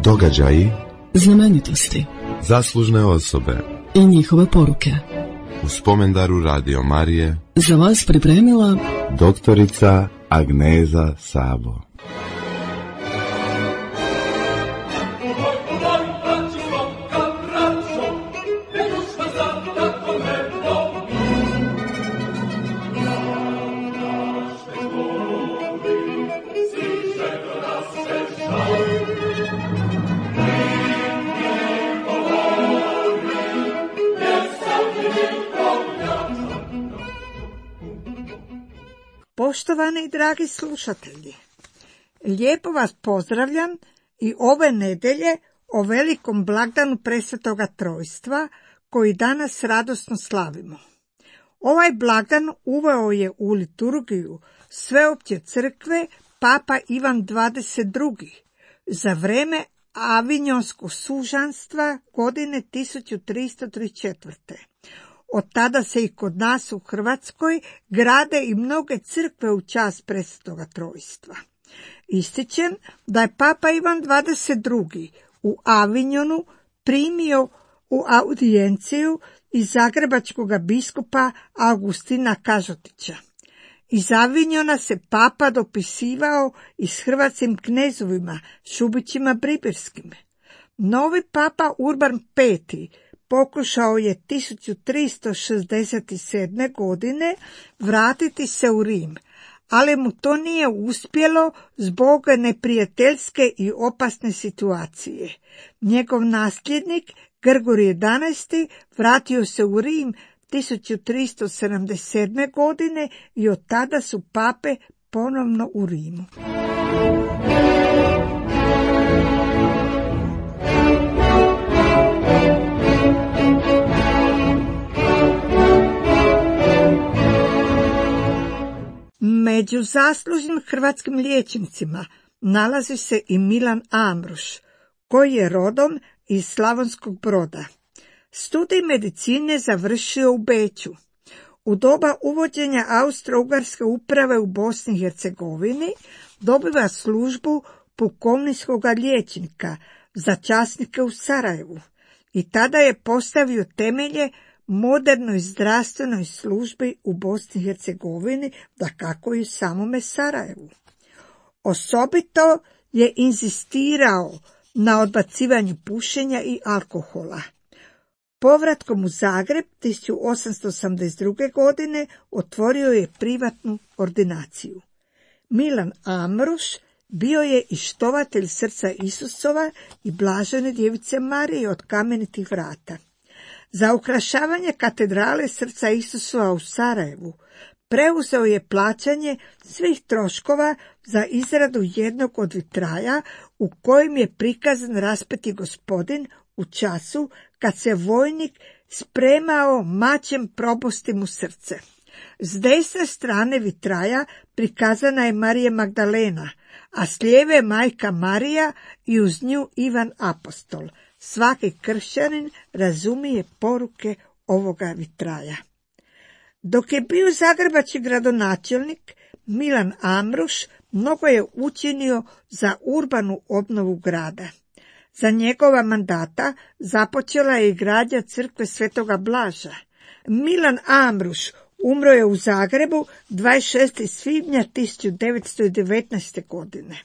Događaji, znamenitosti, zaslužne osobe i njihove poruke. U spomendaru Radio Marije Za vas pripremila doktorica Agneza Sabo. Poštovani i dragi slušatelji, lijepo vas pozdravljam i ove nedjelje o velikom blagdanu Presvetoga Trojstva koji danas radosno slavimo. Ovaj blagdan uveo je u liturgiju Sveopće crkve Papa Ivan XXII. za vrijeme Avinjonskog sužanstva godine 1334. Od tada se i kod nas u Hrvatskoj grade i mnoge crkve u čast Presvetoga Trojstva. Ističem da je Papa Ivan XXII. U Avinjonu primio u audijenciju iz zagrebačkog biskupa Augustina Kažotića. Iz Avinjona se papa dopisivao i s hrvatskim knezovima, Šubićima Bribirskim. Novi papa Urban V. pokušao je 1367. godine vratiti se u Rim, ali mu to nije uspjelo zbog neprijateljske i opasne situacije. Njegov nasljednik, Grgorije XI, vratio se u Rim 1377. godine i od tada su pape ponovno u Rimu. Među zaslužnim hrvatskim liječnicima nalazi se i Milan Amruš, koji je rodom iz Slavonskog Broda. Studij medicine završio u Beču. U doba uvođenja Austro-Ugarske uprave u Bosni i Hercegovini dobiva službu pukovničkog liječnika za časnike u Sarajevu i tada je postavio temelje modernoj zdravstvenoj službi u Bosni i Hercegovini, dakako i u samome Sarajevu. Osobito je inzistirao na odbacivanju pušenja i alkohola. Povratkom u Zagreb 1882. godine otvorio je privatnu ordinaciju. Milan Amruš bio je i štovatelj srca Isusova i blažene djevice Marije od kamenitih vrata. Za ukrašavanje katedrale srca Isusova u Sarajevu preuzeo je plaćanje svih troškova za izradu jednog od vitraja u kojem je prikazan raspeti Gospodin u času kad se vojnik spremao mačem probosti mu srce. S desne strane vitraja prikazana je Marija Magdalena, a s lijeve majka Marija i uz nju Ivan Apostol. Svaki kršćanin razumije poruke ovoga vitraja. Dok je bio zagrebački gradonačelnik, Milan Amruš mnogo je učinio za urbanu obnovu grada. Za njegova mandata započela je i gradnja crkve Svetoga Blaža. Milan Amruš umro je u Zagrebu 26. svibnja 1919. godine.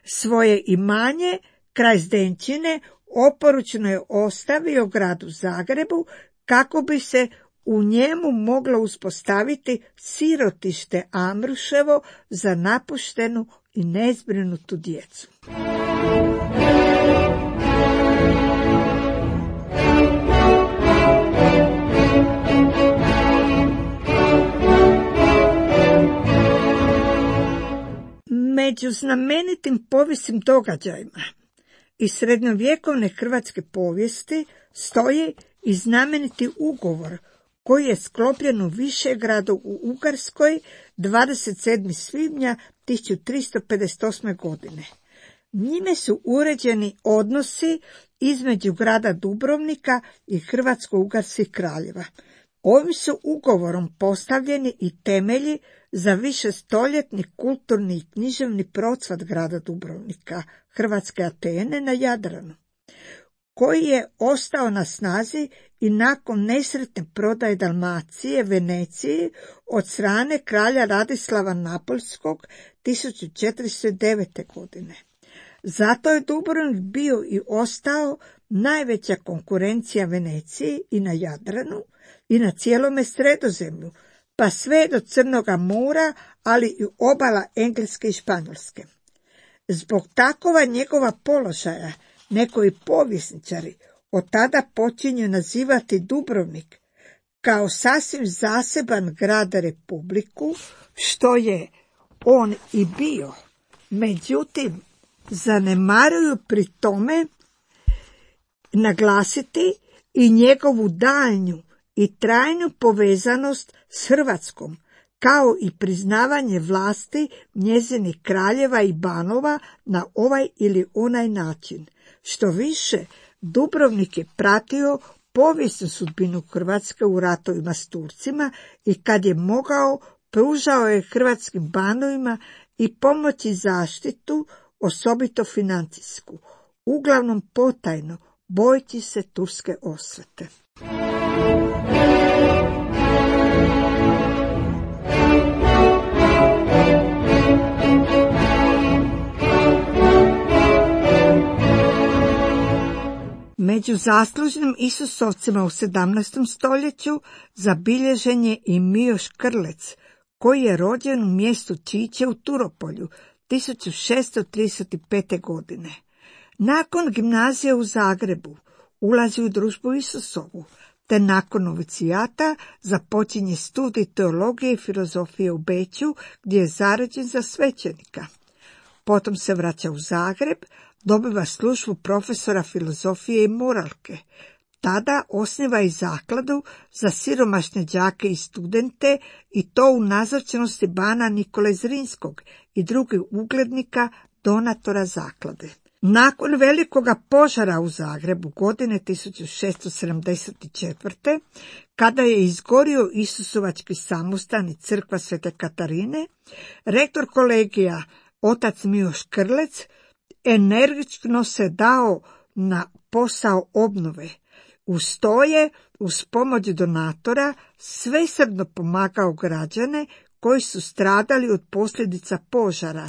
Svoje imanje, kraj Zdenčine, oporučno je ostavio gradu Zagrebu kako bi se u njemu moglo uspostaviti sirotište Amruševo za napuštenu i nezbrinutu djecu. Među znamenitim povijesnim događajima iz srednjovjekovne hrvatske povijesti stoji i znameniti ugovor koji je sklopljen u Višegradu u Ugarskoj 27. svibnja 1358. godine. Njime su uređeni odnosi između grada Dubrovnika i Hrvatsko-Ugarskih kraljeva. Ovim su ugovorom postavljeni i temelji za višestoljetni kulturni i književni procvat grada Dubrovnika, hrvatske Atene na Jadranu, koji je ostao na snazi i nakon nesretne prodaje Dalmacije Veneciji od strane kralja Radislava Napoljskog 1409. godine. Zato je Dubrovnik bio i ostao najveća konkurencija Veneciji i na Jadranu i na cijelome Sredozemlju, pa sve do Crnoga mora, ali i obala Engleske i Španjolske. Zbog takova njegova položaja nekoji povjesničari od tada počinju nazivati Dubrovnik kao sasvim zaseban grad Republiku, što je on i bio. Međutim, zanemaruju pri tome naglasiti i njegovu daljnju i trajnu povezanost s Hrvatskom, kao i priznavanje vlasti njezinih kraljeva i banova na ovaj ili onaj način. Što više, Dubrovnik je pratio povijesnu sudbinu Hrvatske u ratovima s Turcima i kad je mogao, pružao je hrvatskim banovima i pomoć i zaštitu, osobito financijsku, uglavnom potajno, bojeći se turske osvete. Među zaslužnim Isusovcima u 17. stoljeću zabilježen je i Mijo Škrlec, koji je rođen u mjestu Čiče u Turopolju 1635. godine. Nakon gimnazije u Zagrebu ulazi u družbu Isusovu, te nakon novicijata započinje studij teologije i filozofije u Beču, gdje je zaređen za svećenika. Potom se vraća u Zagreb, dobiva službu profesora filozofije i moralke. Tada osniva i zakladu za siromašne đake i studente, i to u nazočnosti bana Nikole Zrinskog i drugih uglednika donatora zaklade. Nakon velikoga požara u Zagrebu godine 1674. kada je izgorio Isusovački samostan i crkva Svete Katarine, rektor kolegija otac Mijo Škrlec energično se dao na posao obnove. Uz to je, uz pomoć donatora, svesrdno pomagao građane koji su stradali od posljedica požara,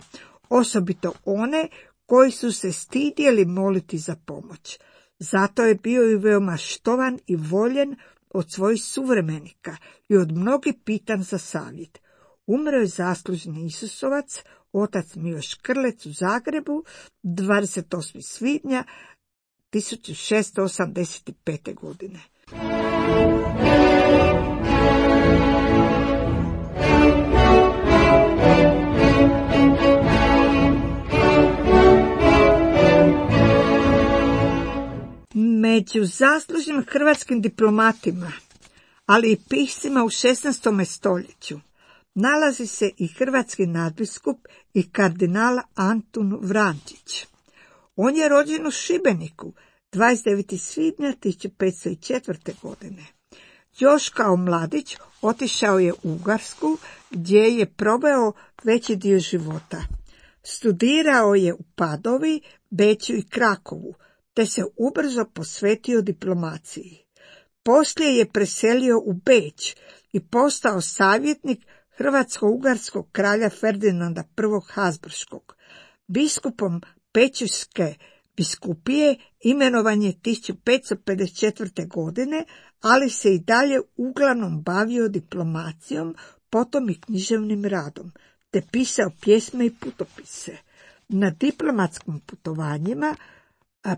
osobito one koji su se stidjeli moliti za pomoć. Zato je bio i veoma štovan i voljen od svojih suvremenika i od mnogih pitan za savjet. Umro je zaslužni Isusovac, otac Mijo Škrlec u Zagrebu 28. svibnja 1685. godine. Među zaslužnim hrvatskim diplomatima, ali i piscima u 16. stoljeću, nalazi se i hrvatski nadbiskup i kardinal Antun Vrančić. On je rođen u Šibeniku 29. svibnja 1504. godine. Još kao mladić otišao je u Ugarsku, gdje je proveo veći dio života. Studirao je u Padovi, Beču i Krakovu, te se ubrzo posvetio diplomaciji. Poslije je preselio u Beč i postao savjetnik hrvatsko-ugarskog kralja Ferdinanda I. Habsburškog. Biskupom Pećuške biskupije imenovan je 1554. godine, ali se i dalje uglavnom bavio diplomacijom, potom i književnim radom, te pisao pjesme i putopise. Na diplomatskim putovanjima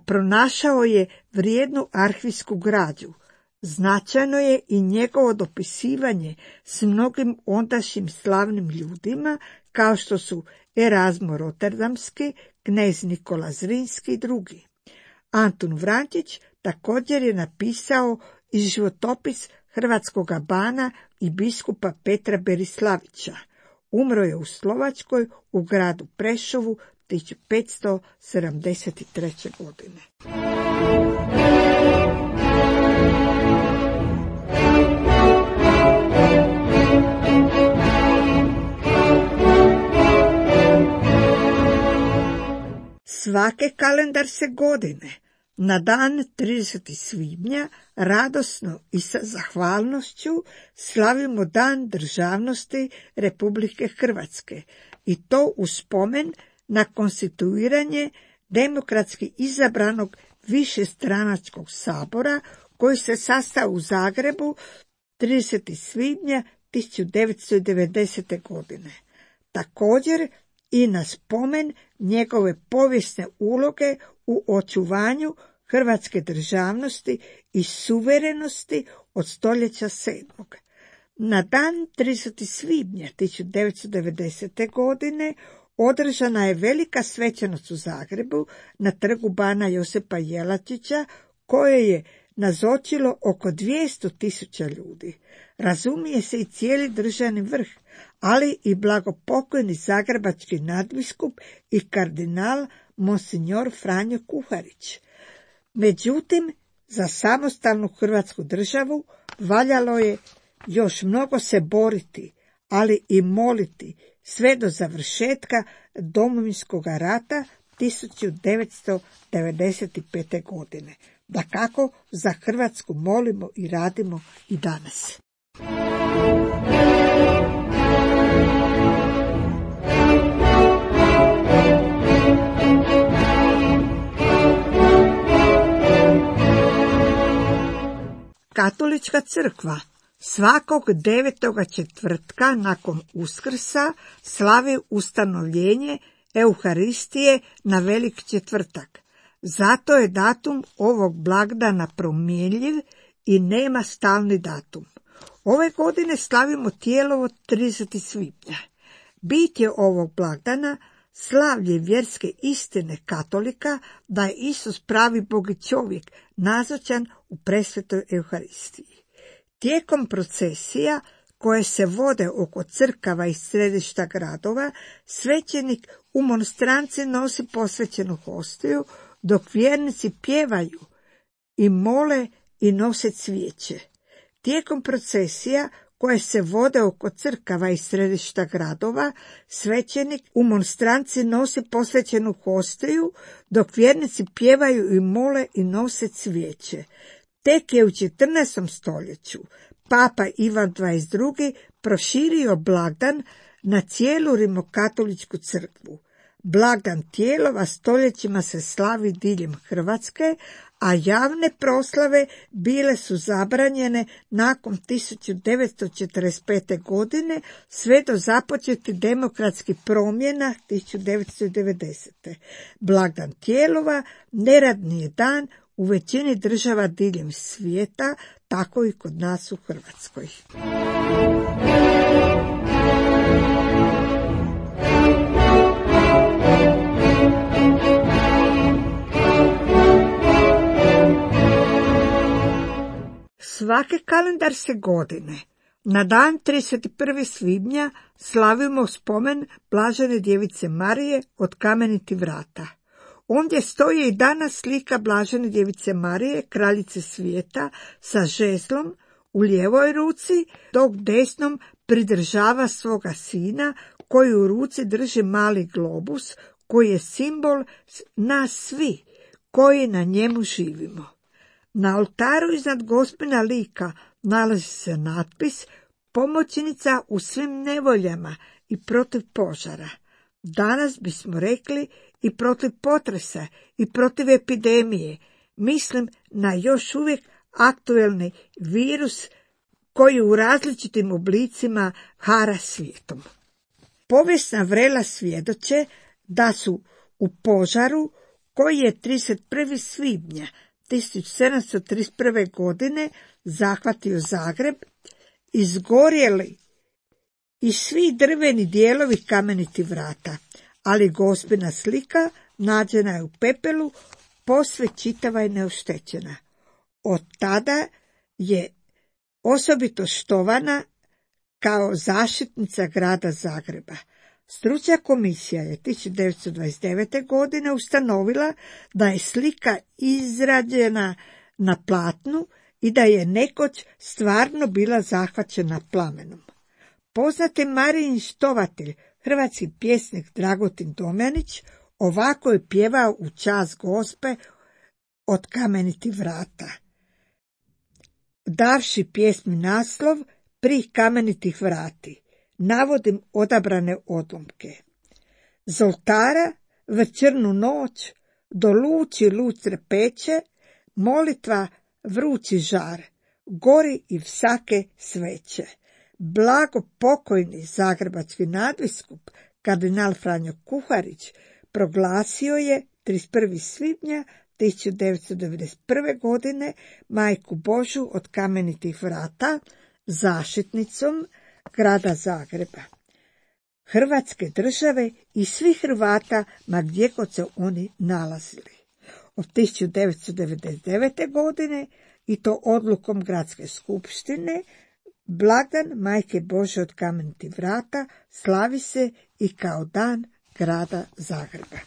pronašao je vrijednu arhivsku građu. Značajno je i njegovo dopisivanje s mnogim ondašnjim slavnim ljudima, kao što su Erazmo Rotterdamski, knez Nikola Zrinski i drugi. Antun Vrančić također je napisao i životopis hrvatskoga bana i biskupa Petra Berislavića. Umro je u Slovačkoj u gradu Prešovu 1573. godine. Svake kalendarske godine, na dan 30. svibnja, radosno i sa zahvalnošću slavimo Dan državnosti Republike Hrvatske i to u spomen na konstituiranje demokratski izabranog višestranačkog sabora koji se sastao u Zagrebu 30. svibnja 1990. godine. Također i na spomen njegove povijesne uloge u očuvanju hrvatske državnosti i suverenosti od stoljeća 7. Na dan 30. svibnja 1990. godine održana je velika svečanost u Zagrebu na trgu Bana Josipa Jelačića koje je nazočilo oko 200.000 ljudi. Razumije se i cijeli državni vrh, ali i blagopokojni zagrebački nadbiskup i kardinal Monsignor Franjo Kuharić. Međutim, za samostalnu Hrvatsku državu valjalo je još mnogo se boriti, ali i moliti sve do završetka Domovinskog rata 1995. godine. Dakako, za Hrvatsku molimo i radimo i danas. Katolička crkva svakog 9. četvrtka nakon Uskrsa slavi ustanovljenje Euharistije na Velik četvrtak. Zato je datum ovog blagdana promjenjiv i nema stalni datum. Ove godine slavimo Tijelovo 30. svibnja. Bit je ovog blagdana slavlje vjerske istine katolika da je Isus pravi Bog i čovjek nazočan u presvetoj Euharistiji. Tijekom procesija koje se vode oko crkava i središta gradova, svećenik u monstranci nosi posvećenu hostiju, dok vjernici pjevaju i mole i nose cvijeće. Tijekom procesija koje se vode oko crkava i središta gradova, svećenik u monstranci nosi posvećenu hostiju, dok vjernici pjevaju i mole i nose cvijeće. Tek je u 14. stoljeću Papa Ivan XXII proširio blagdan na cijelu rimokatoličku crkvu. Blagdan Tijelova stoljećima se slavi diljem Hrvatske, a javne proslave bile su zabranjene nakon 1945. godine sve do započetih demokratskih promjena 1990. Blagdan Tijelova neradni je dan u većini država diljem svijeta, tako i kod nas u Hrvatskoj. Svake kalendarske godine, na dan 31. svibnja, slavimo spomen Blažene djevice Marije od Kamenitih vrata. Ondje stoji i danas slika Blažene djevice Marije, kraljice svijeta, sa žezlom u lijevoj ruci, dok desnom pridržava svoga sina, koji u ruci drži mali globus, koji je simbol nas svi, koji na njemu živimo. Na oltaru iznad Gospina lika nalazi se natpis pomoćnica u svim nevoljama i protiv požara. Danas bismo rekli i protiv potresa i protiv epidemije. Mislim na još uvijek aktuelni virus koji u različitim oblicima hara svijetom. Povijesna vrela svjedoče da su u požaru koji je 31. svibnja 1731. godine zahvatio Zagreb, izgorjeli i svi drveni dijelovi Kamenitih vrata, ali Gospina slika nađena je u pepelu, posve čitava i neoštećena. Od tada je osobito štovana kao zaštitnica grada Zagreba. Stručna komisija je 1929. godine ustanovila da je slika izrađena na platnu i da je nekoć stvarno bila zahvaćena plamenom. Poznati Marijin štovatelj, hrvatski pjesnik Dragutin Domjanić, Ovako je pjevao u čast Gospe od kamenitih vrata, davši pjesmi naslov Pri kamenitih vrati. Navodim odabrane odlomke. Z oltara večernu noć do luči luce peče, molitva vrući žar, gori i vsake sveće. Blago pokojni zagrebački nadbiskup kardinal Franjo Kuharić proglasio je 31. svibnja 1991. godine Majku Božju od kamenitih vrata zaštitnicom grada Zagreba, Hrvatske države i svih Hrvata ma gdje god se oni nalazili. Od 1999. godine i to odlukom Gradske skupštine blagdan Majke Božje od kamenitih vrata slavi se i kao dan grada Zagreba.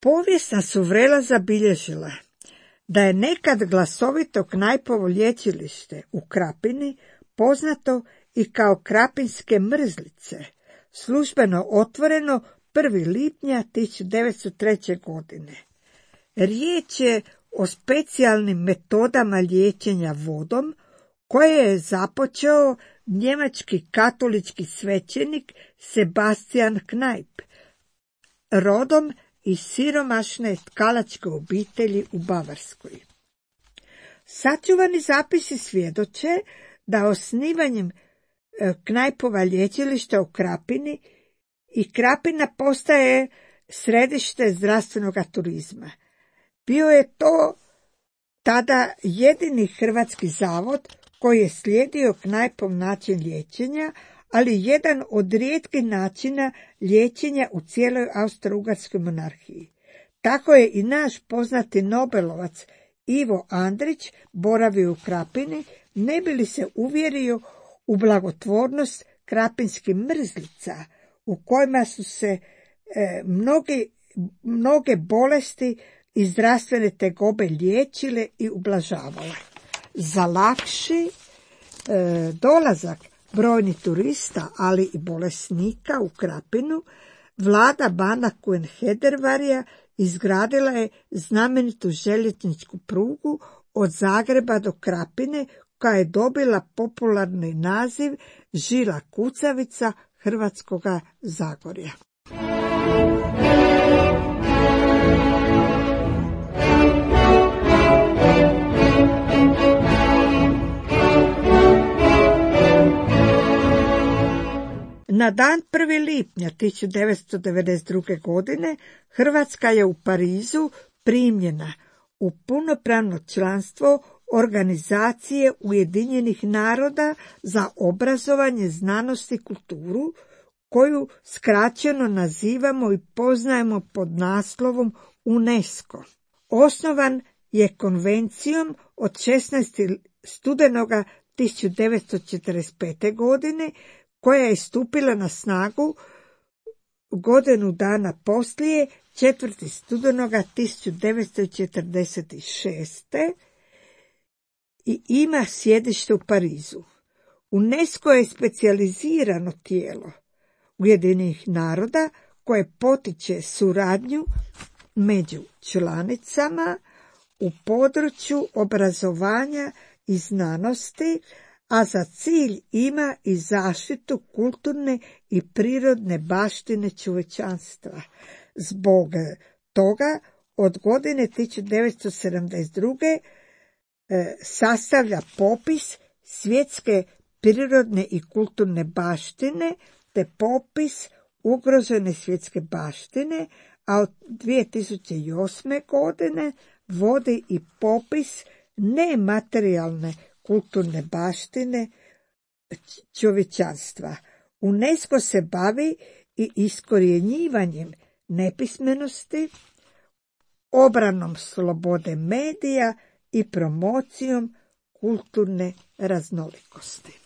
Povijest nas u vrela zabilježila da je nekad glasovito Knajpovo lječilište u Krapini, poznato i kao Krapinske mrzlice, službeno otvoreno 1. lipnja 1903. godine. Riječ je o specijalnim metodama liječenja vodom koje je započeo njemački katolički svećenik Sebastian Knajp, rodom iz siromašne tkalačke obitelji u Bavarskoj. Sačuvani zapisi svjedoče da osnivanjem Knajpova lječilišta u Krapini i Krapina postaje središte zdravstvenog turizma. Bio je to tada jedini hrvatski zavod koji je slijedio Knajpov način liječenja, ali jedan od rijetkih načina liječenja u cijeloj Austro-Ugarskoj monarhiji. Tako je i naš poznati nobelovac Ivo Andrić boravio u Krapini, ne bi li se uvjerio u blagotvornost krapinskih mrzlica, u kojima su se mnoge bolesti i zdravstvene tegobe liječile i ublažavale. Za lakši dolazak brojnih turista, ali i bolesnika u Krapinu, vlada bana Kuenhedervarija izgradila je znamenitu željezničku prugu od Zagreba do Krapine, koja je dobila popularni naziv žila kucavica Hrvatskoga Zagorja. Na dan 1. lipnja 1992. godine Hrvatska je u Parizu primljena u punopravno članstvo Organizacije Ujedinjenih naroda za obrazovanje, znanost i kulturu, koju skraćeno nazivamo i poznajemo pod naslovom UNESCO. Osnovan je konvencijom od 16. studenoga 1945. godine, koja je stupila na snagu godinu dana poslije, 4. studenoga 1946. i ima sjedište u Parizu. UNESCO je specijalizirano tijelo Ujedinjenih naroda koje potiče suradnju među članicama u području obrazovanja i znanosti, a za cilj ima i zaštitu kulturne i prirodne baštine čovječanstva. Zbog toga od godine 1972. sastavlja popis svjetske prirodne i kulturne baštine te popis ugrožene svjetske baštine, a od 2008. godine vodi i popis nematerijalne kulturne baštine čovječanstva. UNESCO se bavi i iskorjenjivanjem nepismenosti, obranom slobode medija i promocijom kulturne raznolikosti.